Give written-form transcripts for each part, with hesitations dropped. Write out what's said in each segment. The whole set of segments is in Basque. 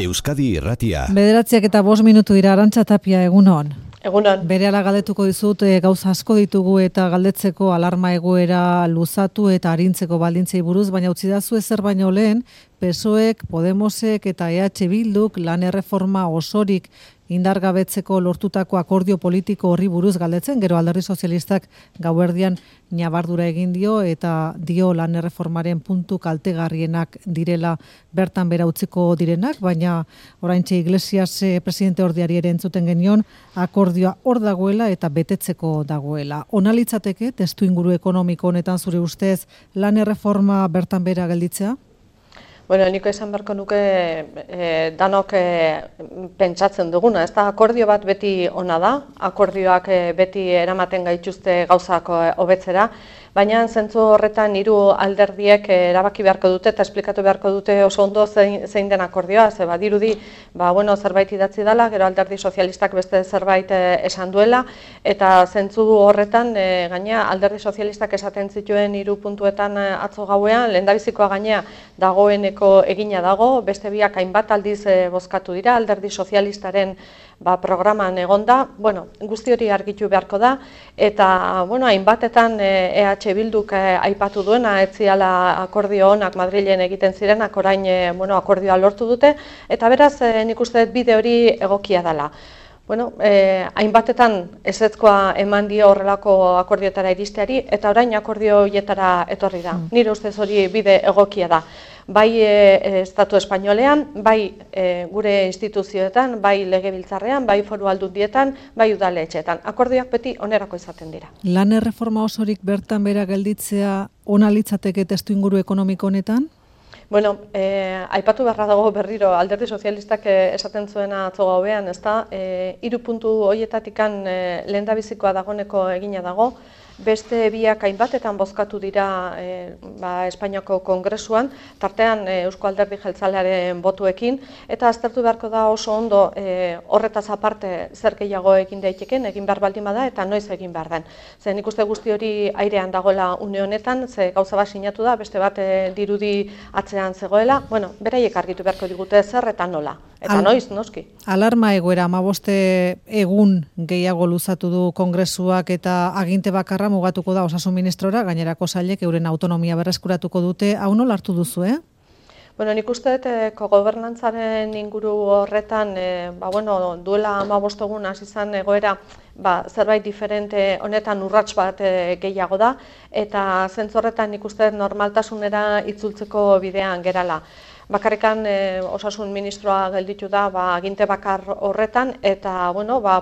Euskadi Irratia. 9:05 dira. Arantxa Tapia, egunon. Egunon. Berehala galdetuko dizut, gauza asko ditugu eta galdetzeko alarma egoera luzatu eta arintzeko baldintzei buruz, baina utzi dazu ezer baino lehen, PSOEk, Podemosek eta EH Bilduk lan erreforma osorik indargabetzeko lortutako akordio politiko horri buruz galdetzen, gero Alderdi Sozialistak gauerdian ñabardura egin dio eta dio lan erreformaren puntu kaltegarrienak direla bertan bera utziko direnak, baina oraintxe Iglesias presidente ordiari ere entzuten genion, akordioa hor dagoela eta betetzeko dagoela. Ona litzateke testu inguru ekonomiko honetan zure ustez lan erreforma bertan bera gelditzea? Bueno, niko esan beharko nuke danok pentsatzen duguna, ez da, akordio bat beti ona da, akordioak beti eramaten gaituzte gauzak hobetzera, baina zentzu horretan hiru alderdiek erabaki beharko dute eta esplikatu beharko dute oso ondo zein den akordioa, ze badirudi, zerbait idatzi dela, gero Alderdi Sozialistak beste zerbait esan duela, eta zentzu horretan gaina Alderdi Sozialistak esaten zituen hiru puntuetan atzo gauean, lehendabizikoa gaina dagoeneko egina dago, beste biak hainbat aldiz bozkatu dira, Alderdi Sozialistaren programan egonda, guzti hori argitu beharko da, eta hainbatetan EH Bilduk aipatu duena, ez ziala akordio honak Madrilen egiten zirenak, orain akordioa lortu dute, eta beraz nik uste bide hori egokia dela. Hainbatetan ezetzkoa eman dio horrelako akordioetara iristeari, eta orain akordio horietara etorri da. Nire ustez hori bide egokia da. Bai Estatu Espainolean, bai gure instituzioetan, bai legebiltzarrean, bai foru aldundietan, bai udaletxeetan. Akordioak beti onerako izaten dira. Lan erreforma osorik bertan bera gelditzea ona litzateke testuinguru ekonomiko honetan? Aipatu beharra dago berriro, Alderdi Sozialistak esaten zuena atzo gauean, ezta? Hiru puntu horietatikan lehendabizikoa dagoeneko egina dago, beste biak hainbatetan bozkatu dira Espainiako Kongresuan, tartean Eusko Alderdi Jeltzalearen botuekin, eta aztertu beharko da oso ondo horretaz aparte zer gehiago egin daiteken, egin behar baldin bada eta noiz egin behar den. Zer nik uste guzti hori airean dagoela une honetan, ze gauza bat sinatu da, beste bat dirudi atzean zegoela, beraiek argitu beharko digute zer eta nola. Eta noiz, noski. Alarma egoera, 15 egun gehiago luzatu du Kongresuak eta aginte bakarra mugatuko da Osasun Ministrora, gainerako sailek euren autonomia berreskuratuko dute, hau nola hartu duzu, Nik uste kogobernantzaren inguru horretan, duela 15 egun hasi izan egoera, zerbait diferente honetan urrats bat gehiago da, eta zentzu horretan nik uste normaltasunera itzultzeko bidean gerala. Bakarrikan Osasun Ministroa gelditu da aginte bakar horretan, eta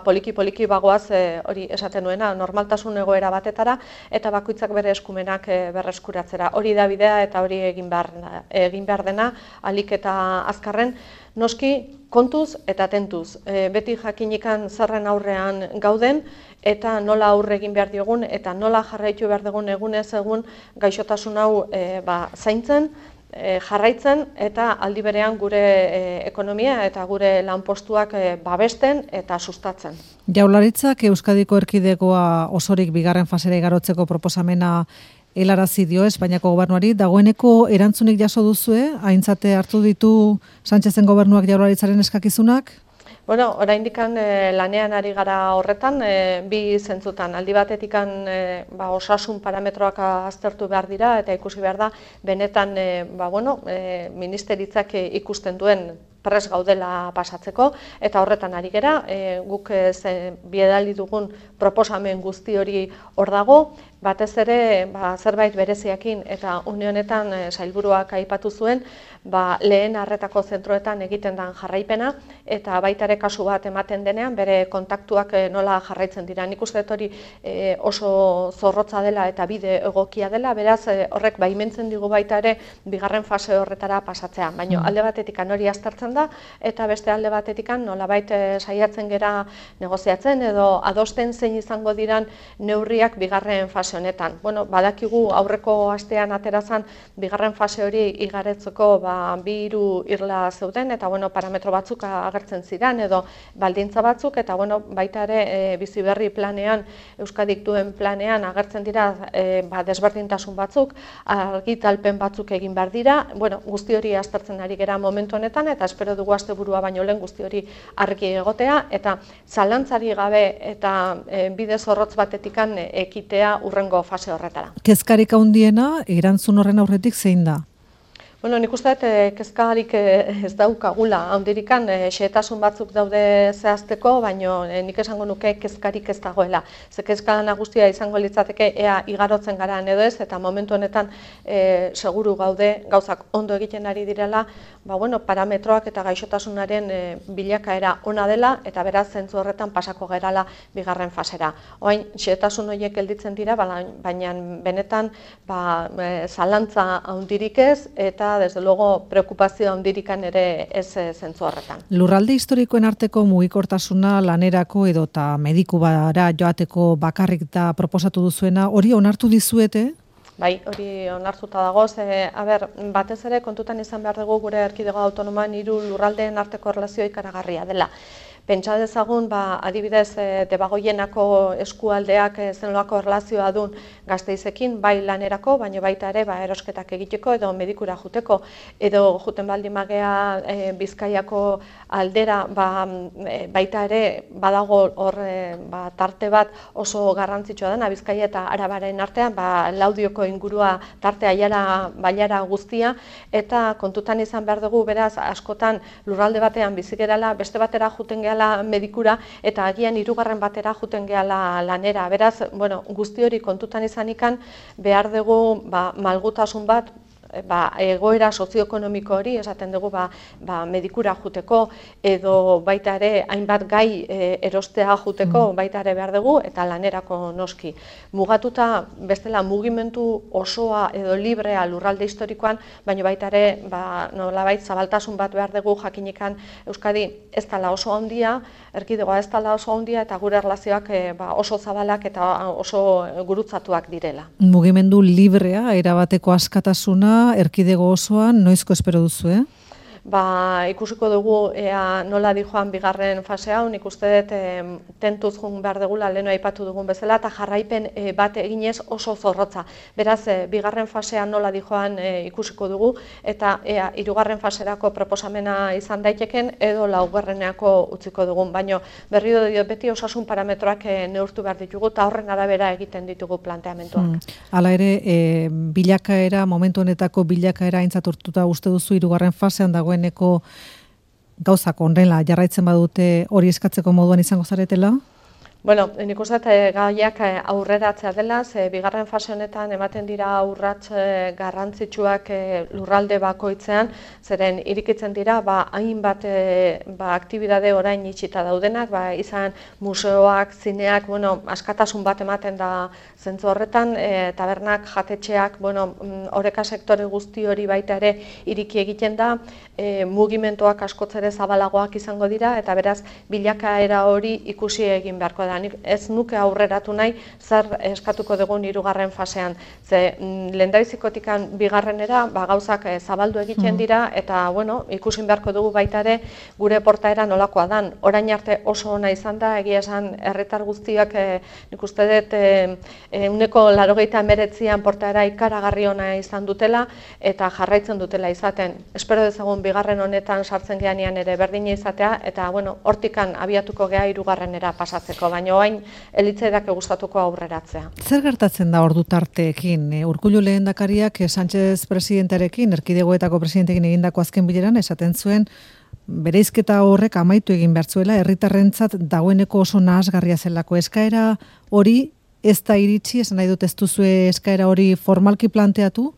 poliki-poliki bagoaz hori esaten nuena, normaltasun egoera batetara, eta bakoitzak bere eskumenak berreskuratzera. Hori da bidea eta hori egin behar dena, ahalik eta azkarren, noski kontuz eta tentuz. Beti jakinikan zerren aurrean gauden, eta nola aurre egin behar diogun, eta nola jarraitu behar dugun egunez egun gaixotasun hau zaintzen, jarraitzen eta aldi berean gure ekonomia eta gure lanpostuak babesten eta sustatzen. Jaurlaritzak Euskadiko erkidegoa osorik bigarren fasera igarotzeko proposamena helarazi dio Espainiako gobernuari, dagoeneko erantzunik jaso duzue, aintzate hartu ditu Sánchezen gobernuak Jaurlaritzaren eskakizunak? Oraindikan lanean ari gara horretan, bi zentzutan. Aldi batetikan osasun parametroak aztertu behar dira eta ikusi behar da, benetan ministeritzak ikusten duen prest gaudela pasatzeko, eta horretan ari gera, guk biedali dugun proposamen guzti hori hor dago, batez ere zerbait bereziakin eta une honetan sailburuak aipatu zuen, lehen arretako zentroetan egiten den jarraipena, eta baita ere kasu bat ematen denean, bere kontaktuak nola jarraitzen dira. Nik uste hori oso zorrotza dela eta bide egokia dela, beraz horrek baimentzen digu baita ere bigarren fase horretara pasatzea. Baina alde batetik hori aztertzen da, eta beste alde batetik nolabait saiatzen gera negoziatzen edo adosten zein izango diran neurriak bigarren fase fase honetan. Bueno, badakigu aurreko astean aterazan bigarren fase hori igaretzeko 2-3 irla zeuden eta parametro batzuk agertzen ziren edo baldintza batzuk eta baita ere bizi berri planean, Euskadik duen planean agertzen dira desberdintasun batzuk, argitalpen batzuk egin behar dira. Guzti hori aztertzen ari gera momentu honetan eta espero dugu asteburua baino lehen guzti hori argi egotea eta zalantzari gabe eta bide zorrotz batetikan ekitea urrengo fase horretara. Kezkarik handiena erantzun horren aurretik zein da? Nik uste dut kezkarik ez daukagula, handirikan xehetasun batzuk daude zehazteko, baina nik esango nuke kezkarik ez dagoela. Ze kezka nagusia izango litzateke ea igarotzen gara edo ez, eta momentu honetan seguru gaude gauzak ondo egiten ari direla, parametroak eta gaixotasunaren bilakaera ona dela, eta beraz zentzu horretan pasako gerala bigarren fasera. Orain xehetasun horiek gelditzen dira, baina benetan zalantza handirik ez, eta desde luego preokupazio handirikan ere ez zentzu horretan. Lurralde historikoen arteko mugikortasuna lanerako edota medikubara joateko bakarrik da proposatu duzuena, hori onartu dizuete? Bai, hori onartuta dago, batez ere kontutan izan behar dugu gure erkidego autonomoan 3 lurraldeen arteko erlazioa ikaragarria dela. Pentsa dezagun, adibidez, Debagoienako eskualdeak zenolako erlazioa duen Gasteizekin, bai lanerako, baina baita ere erosketak egiteko edo medikura juteko, edo juten baldin magea Bizkaiako aldera, baita ere badago hor tarte bat oso garrantzitsua dena, Bizkaia eta Arabaren artean, Laudioko ingurua tarte bailara guztia, eta kontutan izan behar dugu, beraz, askotan lurralde batean bizi gerala, beste batera juten gehala medikura eta agian 3. batera juten gehala lanera. Beraz, guzti hori kontutan izanikan behar dugu malgutasun bat, egoera sozioekonomiko hori, esaten dugu medikura juteko edo baita ere hainbat gai erostea juteko baita ere behar dugu eta lanerako noski. Mugatuta bestela mugimendu osoa edo librea lurralde historikoan, baina baita ere nolabait zabaltasun bat behar dugu jakinikan Euskadi ez dela oso handia, erkidegoa ez dela oso handia eta gure erlazioak oso zabalak eta oso gurutzatuak direla. Mugimendu librea, erabateko askatasuna, erkidego osoan, noizko espero duzu, Ikusiko dugu nola dijoan bigarren fase hau, nik uste dut tentuz joan behar dugula, leheno aipatu dugun bezala, eta jarraipen bat eginez oso zorrotza. Beraz, bigarren fasean nola dijoan ikusiko dugu, eta 3. faserako proposamena izan daiteken, edo 4. utziko dugun. Baina berriro diot beti osasun parametroak neurtu behar ditugu, eta horren arabera egiten ditugu planteamentuak. Hala ere, bilakaera, momentu honetako bilakaera aintzat uste duzu 3. fasean dagoen gauzak honrela jarraitzen badute hori eskatzeko moduan izango zaretela? Nik uste gaiak aurreratzea dela, bigarren fase honetan ematen dira urrats garrantzitsuak lurralde bakoitzean, zeren irikitzen dira hainbat aktibidade orain itxita daudenak, izan museoak, zineak, askatasun bat ematen da zentzu horretan, tabernak, jatetxeak, oreka sektore guzti hori baita ere iriki egiten da, mugimenduak askotzere zabalagoak izango dira, eta beraz bilakaera hori ikusi egin beharko da. Ez nuke aurreratu nahi zer eskatuko dugun 3. fasean. Ze lehendabizikotikan bigarrenera gauzak zabaldu egiten dira eta ikusin beharko dugu baita ere gure portaera nolakoa dan. Orain arte oso ona izan da, egia esan herritar guztiak nik uste dut 89an portaera ikaragarri ona izan dutela eta jarraitzen dutela izaten. Espero dezagun bigarren honetan sartzen geanean ere berdina izatea eta hortikan abiatuko gea 3. pasatzeko, baina orain elitzaidak gustatuko aurreratzea. Zer gertatzen da ordu tarteekin? Urkullu lehendakariak Sánchez presidentearekin, erkidegoetako presidenteekin egindako azken bileran esaten zuen bereizketa horrek amaitu egin behar zuela, herritarrentzat dagoeneko oso nahasgarria zelako. Eskaera hori ez da iritsi, esan nahi dut ez duzue eskaera hori formalki planteatu?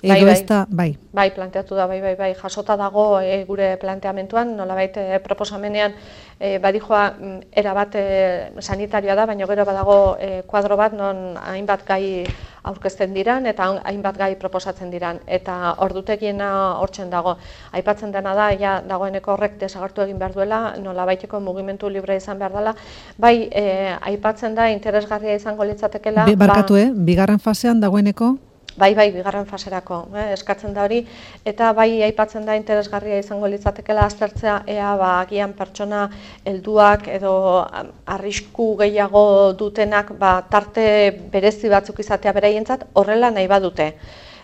edo ez da, bai. Bai, planteatu da, bai, jasota dago gure planteamentuan, nolabait proposamenean badijoa erabat sanitarioa da, baina gero badago kuadro bat non hainbat gai aurkezten diran eta hainbat gai proposatzen diran, eta ordutegiena hortzen dago. Aipatzen dena da, ja dagoeneko horrek desagertu egin behar duela, nolabaiteko mugimendu libre izan behar dela, bai aipatzen da interesgarria izango litzatekela. Barkatu, bigarren fasean dagoeneko? Bai, bigarren faserako, eskatzen da hori, eta bai aipatzen da interesgarria izango litzatekela aztertzea ea agian pertsona helduak edo arrisku gehiago dutenak tarte berezi batzuk izatea beraientzat horrela nahi badute.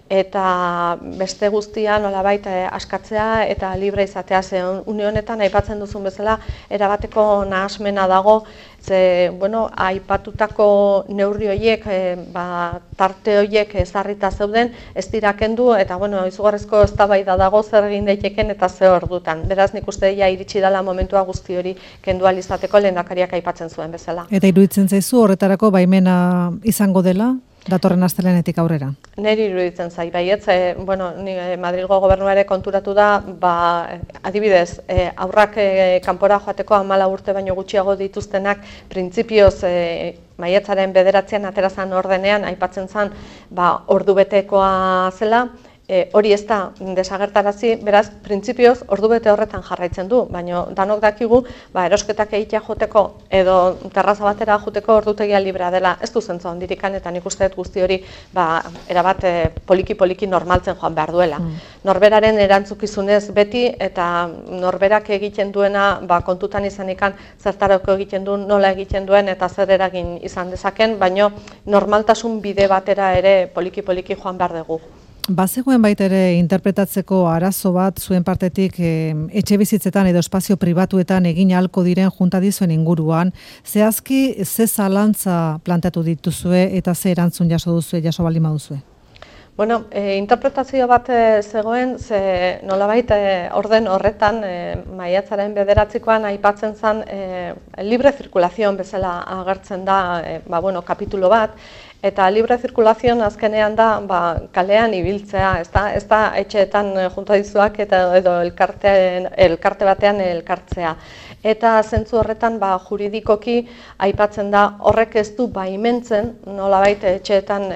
Eta beste guztia nolabait askatzea eta libre izatea, ze une honetan aipatzen duzun bezala erabateko nahasmena dago, ze aipatutako neurri horiek, tarte horiek ezarrita zeuden, ez dira kendu, eta izugarrizko eztabaida dago zer egin daiteken eta ze ordutan. Beraz, nik uste iritsi dela momentua guzti hori kendu ahal izateko lehendakariak aipatzen zuen bezala. Eta iruditzen zaizu horretarako baimena izango dela? Datorren astelehenetik aurrera? Neri iruditzen zait, baietz, Madrilgo gobernuare konturatu da, adibidez, aurrak kanpora joateko 14 urte baino gutxiago dituztenak, printzipioz maiatzaren 9an aterazan ordenean, aipatzen zen, ordubetekoa zela, hori ez da desagertarazi, beraz, printzipioz ordubete horretan jarraitzen du, baina danok dakigu, erosketak egitea joteko edo terraza batera joteko ordutegia librea dela, ez du zentzu handirikan, eta nik uste guzti hori erabat poliki-poliki normaltzen joan behar duela. Norberaren erantzukizunez beti, eta norberak egiten duena kontutan izanikan zertarako egiten duen, nola egiten duen, eta zer eragin izan dezaken, baina normaltasun bide batera ere poliki-poliki joan behar dugu. Bazegoen baita ere interpretatzeko arazo bat zuen partetik etxe bizitzetan edo espazio pribatuetan egin ahalko diren juntadizuen inguruan. Zehazki, ze zalantza planteatu dituzue eta ze erantzun jaso baldin baduzue? Interpretazio bat zegoen, ze nolabait orden horretan, maiatzaren 9koan aipatzen zen libre zirkulazion bezala agertzen da kapitulo bat, eta libre zirkulazion azkenean da kalean ibiltzea, ez da etxeetan juntadizuak edo elkarte batean elkartzea. Eta zentzu horretan juridikoki aipatzen da horrek ez du baimentzen nolabait etxeetan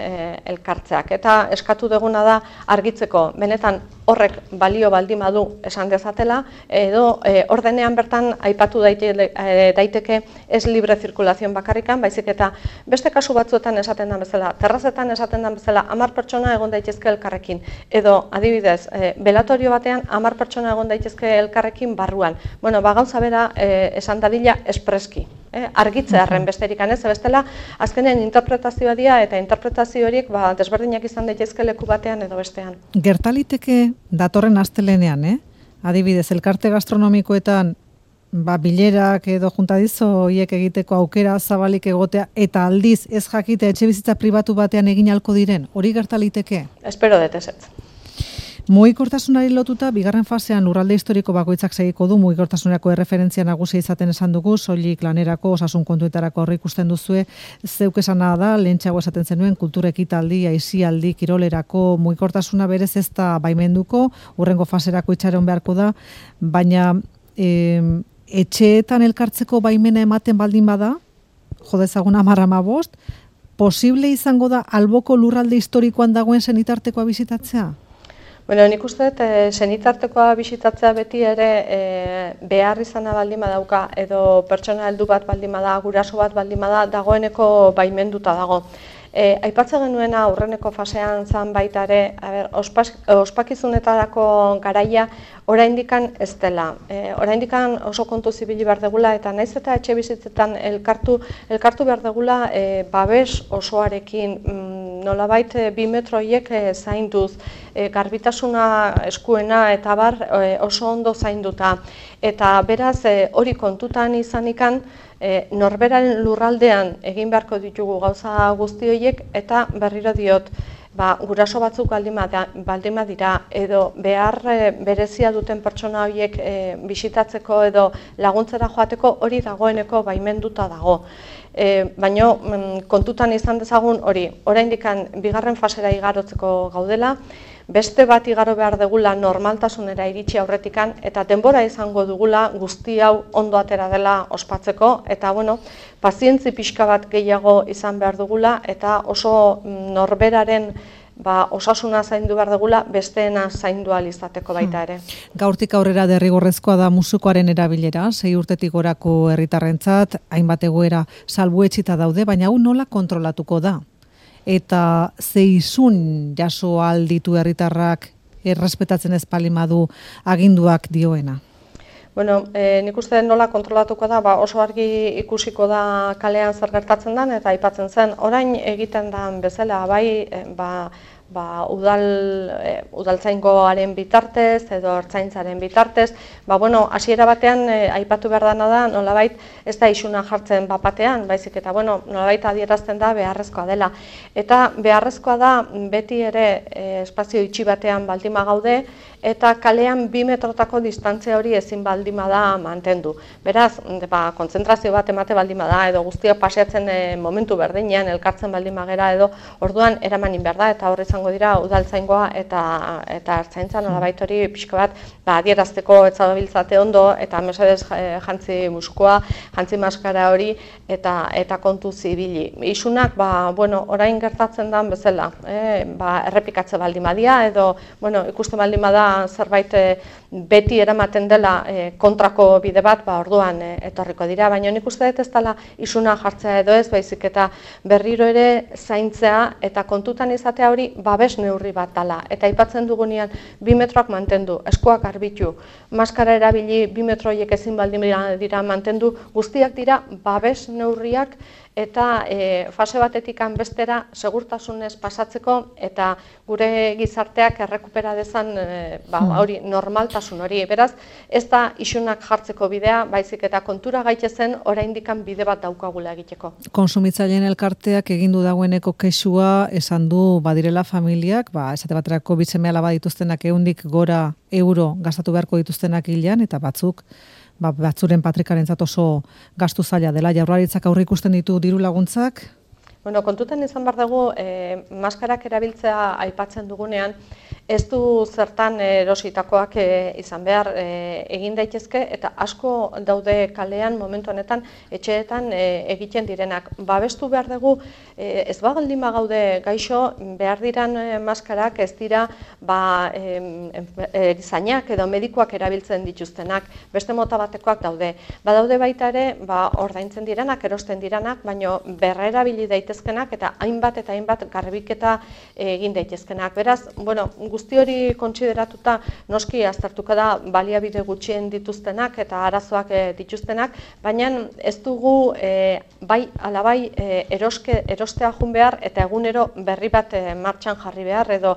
elkartzeak. Eta eskatu duguna da argitzeko, benetan horrek balio baldin badu esan dezatela, edo ordenean bertan aipatu daiteke ez libre zirkulazion bakarrikan, baizik eta beste kasu batzuetan esaten den bezala, terrazetan esaten den bezala 10 pertsona egon daitezke elkarrekin, edo adibidez, belatorio batean 10 pertsona egon daitezke elkarrekin barruan. Gauza bera esan dadila espreski. Argitzearen besterik ez, bestela azkenen interpretazioa dira eta interpretazio horiek desberdinak izan daitezke leku batean edo bestean. Gertaliteke datorren astelehenean, adibidez, elkarte gastronomikoetan bilerak edo juntadizo horiek egiteko aukera zabalik egotea eta aldiz ez jakite etxe bizitza pribatu batean egin ahalko diren, hori gertaliteke? Espero dut ezetz. Mugikortasunari lotuta, bigarren fasean lurralde historiko bakoitzak segiko du mugikortasunerako erreferentzia nagusia izaten esan dugu, soilik lanerako, osasun kontuetarako horri ikusten duzue, zeuk esana da, lehentxeago esaten zenuen, kultura ekitaldi, aisialdi, kirolerako, mugikortasuna berez ez da baimenduko, hurrengo faserako itxaron beharko da, baina etxeetan elkartzeko baimena ematen baldin bada, jodezagun 10-15, posible izango da alboko lurralde historikoan dagoen senitartekoa bisitatzea? Nik uste dut, senitartekoa bisitatzea beti ere behar izana baldin badauka, edo pertsona heldu bat baldin bada, guraso bat baldin bada, dagoeneko baimenduta dago. Aipatzen genuena aurreneko fasean zan baita ere, ospakizunetarako garaia oraindikan ez dela. Oraindikan oso kontu zibili behar degula eta naiz eta etxe bizitzetan elkartu behar degula babes osoarekin, nolabait 2 metroiek zainduz, garbitasuna eskuena eta bar oso ondo zainduta. Eta beraz hori kontutan izanikan, norberaren lurraldean egin beharko ditugu gauza guzti horiek eta berriro diot, guraso batzuk baldin badira edo behar berezia duten pertsona horiek bisitatzeko edo laguntzera joateko hori dagoeneko baimenduta dago. Baina kontutan izan dezagun hori, oraindik bigarren fasera igarotzeko gaudela, beste bat igaro behar dugula normaltasunera iritsi aurretikan, eta denbora izango dugula guzti hau ondo atera dela ospatzeko, eta pazientzi pixka bat gehiago izan behar dugula, eta oso norberaren osasuna zaindu behar dugula, besteena zaindu ahal izateko baita ere. Gaurtik aurrera derrigorrezkoa da musukoaren erabilera, 6 urtetik gorako herritarrentzat, hainbat egoera salbuetsita daude, baina hau nola kontrolatuko da? Eta zeizun jaso alditu herritarrak errespetatzen ez palimadu aginduak dioena? Nik uste nola kontrolatuko da, oso argi ikusiko da kalean zer gertatzen den, eta aipatzen zen, orain egiten den bezala, udaltzaingoaren bitartez edo ertzaintzaren bitartez, hasiera batean aipatu behar dena da, nolabait ez da isuna jartzen batean, baizik eta nolabait adierazten da beharrezkoa dela. Eta beharrezkoa da beti ere espazio itxi batean baldima gaude, eta kalean 2 metrotako distantzia hori ezin baldima da mantendu. Beraz, kontzentrazio bat emate baldima da, edo guztiak paseatzen momentu berdinean, elkartzen baldima gera, edo orduan eramanin behar da, eta horre izango dira udaltzaingoa eta ertzaintza nolabait hori pixka bat adierazteko etzabiltzate ondo, eta mesedez jantzi muskoa, jantzi maskara hori, eta kontu zibili. Isunak, orain gertatzen den bezala, errepikatze baldima dia, edo ikusten baldima da zerbait beti eramaten dela kontrako bide bat, orduan etorriko dira, baina nik uste dut ez dela isuna jartzea edo ez, baizik eta berriro ere zaintzea eta kontutan izatea hori babes neurri bat dela. Eta aipatzen dugunean 2 metroak mantendu, eskuak garbitu, maskara erabili 2 metroiek ezin baldin dira mantendu, guztiak dira babes neurriak eta fase batetik bestera segurtasunez pasatzeko eta gure gizarteak errekupera dezan hori normaltasun hori. Beraz, ez da isunak jartzeko bidea, baizik eta kontura gaitezen oraindikan bide bat daukagula egiteko. Konsumitzaileen elkarteak egindu dagoeneko kexua esan du badirela familiak, esate baterako seme-alaba dituztenak 100 gora euro gastatu beharko dituztenak hilean, eta batzuren patrikarentzat oso gastu zaila dela. Jaurlaritzak aurre ikusten ditu diru laguntzak? Kontutan izan behar dugu, maskarak erabiltzea aipatzen dugunean, ez du zertan erositakoak izan behar egin daitezke, eta asko daude kalean momentu honetan etxeetan egiten direnak. Babestu behar dugu, ez baldin gaude gaixo, behar diran maskarak ez dira erizainak edo medikoak erabiltzen dituztenak, beste mota batekoak daude. Badaude baita ere, ordaintzen direnak, erosten direnak, baina berrerabili daitezkenak eta hainbat garbiketa egin daitezkenak. Beraz, guzti hori kontsideratuta noski aztertuko da baliabide gutxien dituztenak eta arazoak dituztenak, baina ez dugu bai erostea jun behar eta egunero berri bat martxan jarri behar edo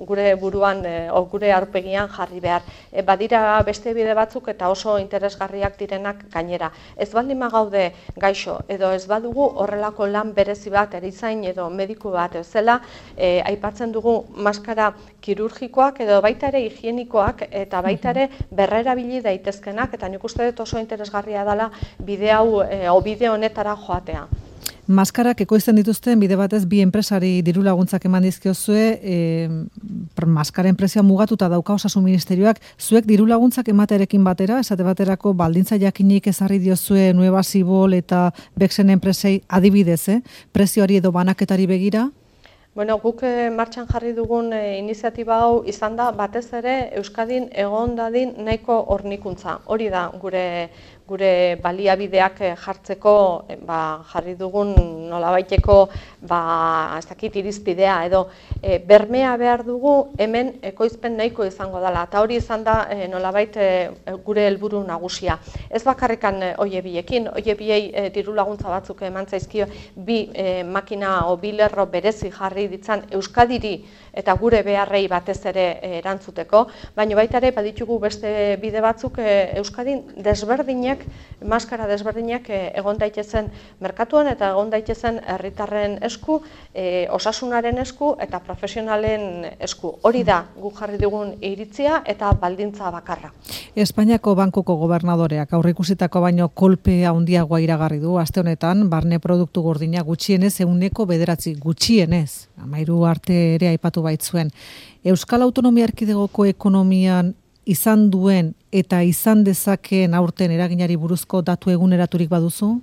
gure buruan gure aurpegian jarri behar. Badira beste bide batzuk eta oso interesgarriak direnak gainera. Ez baldin gaude gaixo edo ez badugu horrelako lan berezi bat, erizain edo mediku bat zela, aipatzen dugu maskara kirurgikoak edo baita ere higienikoak eta baita ere berrerabili daitezkenak, eta nik uste dut oso interesgarria dela bide honetara joatea. Maskarak ekoizten dituzten bide batez 2 enpresari diru laguntzak eman dizkiozue, maskaren prezioa mugatuta dauka Osasun Ministerioak, zuek diru laguntzak ematerekin batera, esate baterako baldintza jakinik ezarri diozue Nueva Sibol eta Bexen enpresei adibidez, prezioari edo banaketari begira? Guk martxan jarri dugun iniziatiba hau izan da batez ere Euskadin egon dadin nahiko hornikuntza. Hori da gure baliabideak jartzeko jarri dugun nolabaiteko ez dakit irizpidea edo bermea behar dugu hemen ekoizpen nahiko izango dela, eta hori izan da nolabait gure helburu nagusia. Ez bakarrikan oie biekin, oie biei diru laguntza batzuk eman zaizkio 2 makina o 2 lerro berezi jarri ditzan Euskadiri eta gure beharrei batez ere erantzuteko, baina baita ere baditugu beste bide batzuk Euskadin desberdinak, maskara desberdinak egon daitezen merkatuan eta egon daitezen herritarren esku, osasunaren esku eta profesionalen esku. Hori da guk jarri dugun iritzia eta baldintza bakarra. Espainiako bankuko gobernadoreak aurreikusitako baino kolpe handiagoa iragarri du aste honetan, barne produktu gordina gutxienez 9% gutxienez. 13 arte ere aipatu baitzuen. Euskal Autonomia Erkidegoko ekonomian izan duen eta izan dezakeen aurten eraginari buruzko datu eguneraturik baduzu?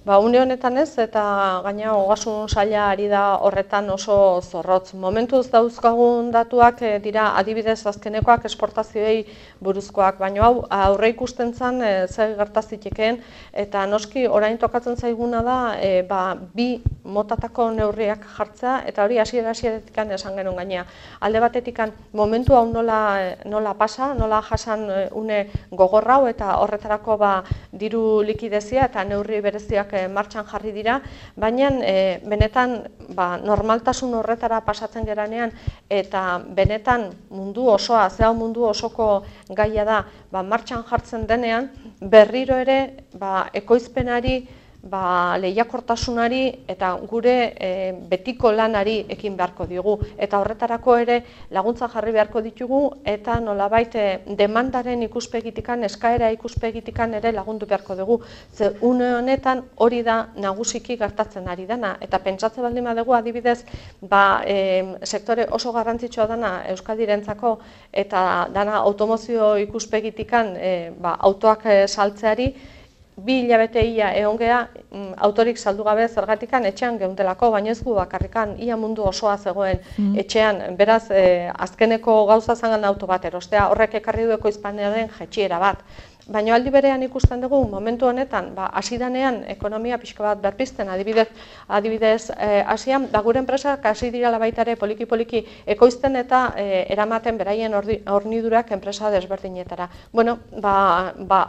Une honetan ez, eta gaina ogasun saila ari da horretan oso zorrotz. Momentuz dauzkagun datuak dira adibidez azkenekoak esportazioei buruzkoak, baina hau aurre ikusten zen zer gertazitekeen, eta noski orain tokatzen zaiguna da bi motatako neurriak jartzea, eta hori hasieratik esan genuen gainea. Alde batetik momentu hau nola pasa, nola jasan une gogorra hau, eta horretarako diru likidezia eta neurri bereziak martxan jarri dira, baina benetan normaltasun horretara pasatzen geranean eta benetan mundu osoa, zehau mundu osoko gaia da martxan jartzen denean, berriro ere ekoizpenari, lehiakortasunari eta gure betiko lanari ekin beharko diogu. Eta horretarako ere laguntza jarri beharko ditugu eta nolabait demandaren ikuspegitikan, eskaera ikuspegitikan ere lagundu beharko dugu. Ze une honetan hori da nagusiki gertatzen ari dana. Eta pentsatze baldin badugu adibidez, sektore oso garrantzitsua dana Euskadirentzako eta dana automozio ikuspegitikan autoak saltzeari, 2 hilabete ia egon gea autorik saldu gabe zergatikan etxean geundelako, baina ez gu bakarrikan, ia mundu osoa zegoen etxean, beraz azkeneko gauza zangan auto bat erostea, horrek ekarri du ekoizpenaren jaitsiera bat. Baina aldi berean ikusten dugu momentu honetan, hasi danean ekonomia pixka bat berpizten, adibidez hasian, gure enpresak hasi direla baita ere poliki-poliki ekoizten eta eramaten beraien hornidurak enpresa desberdinetara.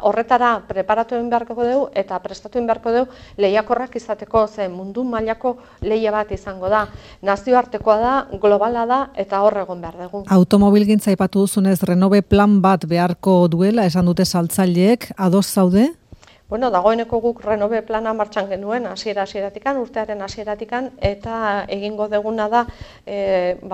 Horretara preparatu egin beharko dugu eta prestatu egin beharko dugu lehiakorrak izateko, ze mundu mailako lehia bat izango da. Nazioartekoa da, globala da eta hor egon behar dugu. Automobilgintza aipatu duzunez, Renove plan bat beharko duela, esan dute saltza ados zaude? Dagoeneko guk Renove plana martxan genuen hasiera-hasieratik, urtearen hasieratik, eta egingo deguna da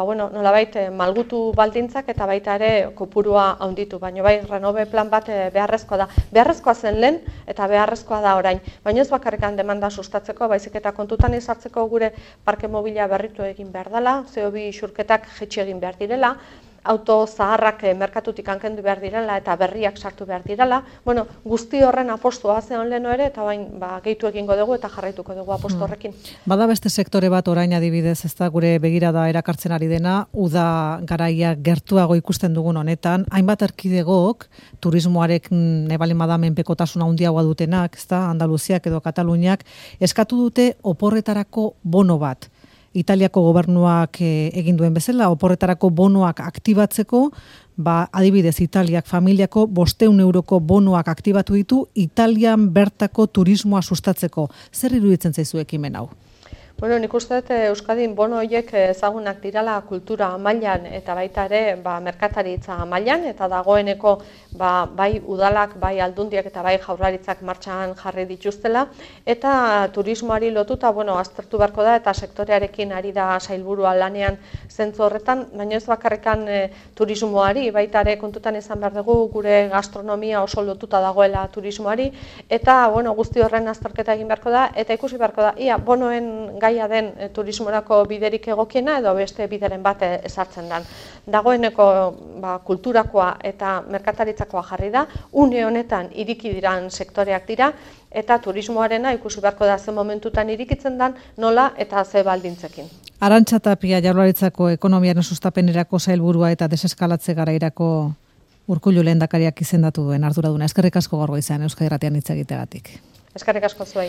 nolabait malgutu baldintzak eta baita ere kopurua handitu, baina bai Renove plan bat beharrezkoa da. Beharrezkoa zen lehen eta beharrezkoa da orain, baina ez bakarrikan demanda sustatzeko, baizik eta kontutan izartzeko gure parke mobila berritu egin behar dela, CO2 isurketak jaitsi egin behar direla, auto zaharrak merkatutik kendu behar direla eta berriak sartu behar direla. Guzti horren apostua zeon leheno ere, eta bain gehitu egingo dugu eta jarraituko dugu apostu horrekin. Bada beste sektore bat orain adibidez, ez da gure begirada erakartzen ari dena, uda garaia gertuago ikusten dugun honetan, hainbat erkidegok turismoarekin ebalin bada menpekotasuna handiagoa dutenak, ez da, Andaluziak edo Kataluniak, eskatu dute oporretarako bono bat. Italiako gobernuak egin duen bezala, oporretarako bonoak aktibatzeko, adibidez Italiak familiako 500 euroko bonoak aktibatu ditu Italian bertako turismoa sustatzeko. Zer iruditzen zaizu ekimen hau? Nik uste dut Euskadin bono horiek ezagunak dirala kultura mailan eta baita ere merkataritza mailan, eta dagoeneko bai udalak, bai aldundiak eta bai jaurlaritzak martxan jarri dituztela, eta turismoari lotuta aztertu beharko da eta sektorearekin ari da sailburua lanean zentzu horretan, baina ez bakarrikan turismoari, baita ere kontutan izan behar dugu gure gastronomia oso lotuta dagoela turismoari, eta guzti horren azterketa egin beharko da, eta ikusi beharko da, ia bonoen gaia den turismorako biderik egokiena edo beste bideren bat ezartzen den. Dagoeneko kulturakoa eta merkataritzakoa jarri da, une honetan iriki diran sektoreak dira, eta turismoarena ikusi beharko da ze momentutan irikitzen den, nola eta ze baldintzekin. Arantxa Tapia, Jaurlaritzako ekonomiaren sustapenerako sailburua eta deseskalatze garairako Urkullu lehendakariak izendatu duen arduraduna. Eskerrik asko gaur goizean Euskadi Irratian hitz egiteagatik. Eskerrik asko zuei.